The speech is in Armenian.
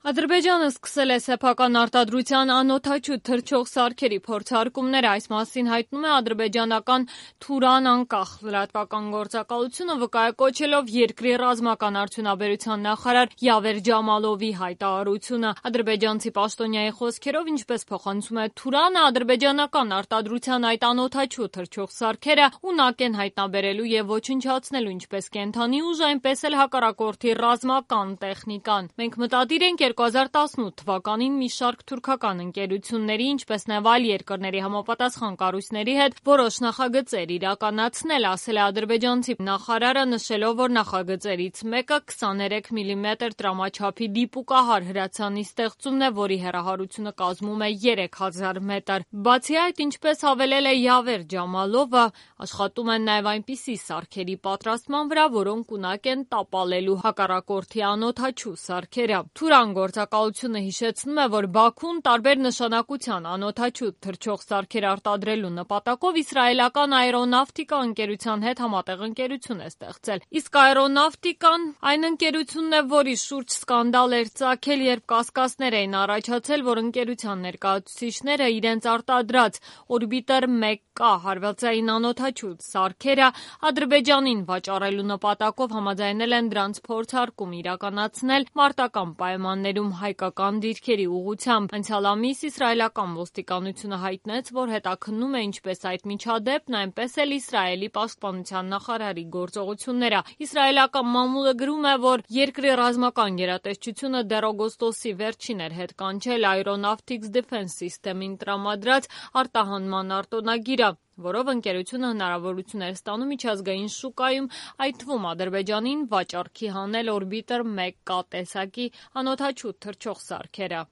Ադրբեջանը սկսել է սեփական արտադրության անօդաչու թռչող սարքերի փորձարկումները, այս մասին հայտնում է ադրբեջանական Թուրան անկախ լրատվական գործակալությունը, վկայակոչելով երկրի ռազմական արդյունաբերության նախարար Յավեր Ջամալովի հայտարարությունը։ Ադրբեջանցի պաշտոնյայի խոսքերով, ինչպես փոխանցում է Թուրանը, ադրբեջանական արտադրության այդ անօդաչու թռչող սարքերը ունակ են հայտնաբերելու եւ ոչնչացնելու ինչպես կենդանի ուժ, այնպես էլ հակառակորդի ռազմական տեխնիկան։ Մենք մտադիր ենք 2018 թվականին մի շարք թուրքական ընկերությունների, ինչպես նաև այլ երկրների համապատասխան կառույցների հետ որոշ նախագծեր իրականացնել, ասել է ադրբեջանցի նախարարը, նշելով, որ նախագծերից մեկը 23 մմ տրամաչափի դիպուկահար հրացանի ստեղծումն է, որի հեռահարությունը կազմում է 3000 մետր։ Բացի այդ, ինչպես հավելել է Յավեր Ջամալովը, աշխատում են նաև այնպիսի սարքերի պատրաստման վրա, որոնք ունակ են տապալելու հակառակորդի անօդաչու սարքերը։ Թուրան գործակալությունը հիշեցնում է, որ Բաքուն տարբեր նշանակության անօդաչու թռչող սարքեր արտադրելու նպատակով իսրայելական Aeronautica ընկերության հետ համատեղ ընկերություն է ստեղծել։ Իսկ Aeronautica-ն այն ընկերությունն է, որի շուրջ սկանդալ էր ծագել, երբ կասկածներ էին առաջացել, որ ընկերության ներկայացուցիչները իրենց արտադրած Orbiter 1K հարվածային անօդաչու սարքերը Ադրբեջանին վաճառելու նպատակով համաձայնել են դրանց փորձարկում իրականացնել մարտական պայմաններում հայկական դիրքերի ուղղությամբ։ Անցյալ ամիս իսրայելական ոստիկանությունը հայտնեց, որ հետաքննում է ինչպես այդ միջադեպն, այնպես էլ Իսրայելի պաշտպանության նախարարի գործողությունները։ Իսրայելական մամուլը գրում է, որ երկրի ռազմական գերատեսչությունը դեռ օգոստոսի վերջին էր հետ կանչել Aeronautics Defense System-ին տրամադրած արտահանման արտոնագիրը, որով ընկերությունը հնարավորություն էր ստանում միջազգային շուկայում, այդ թվում Ադրբեջանին վաճառքի հանել Orbiter 1K տեսակի անօդաչու թռչող սարքերը։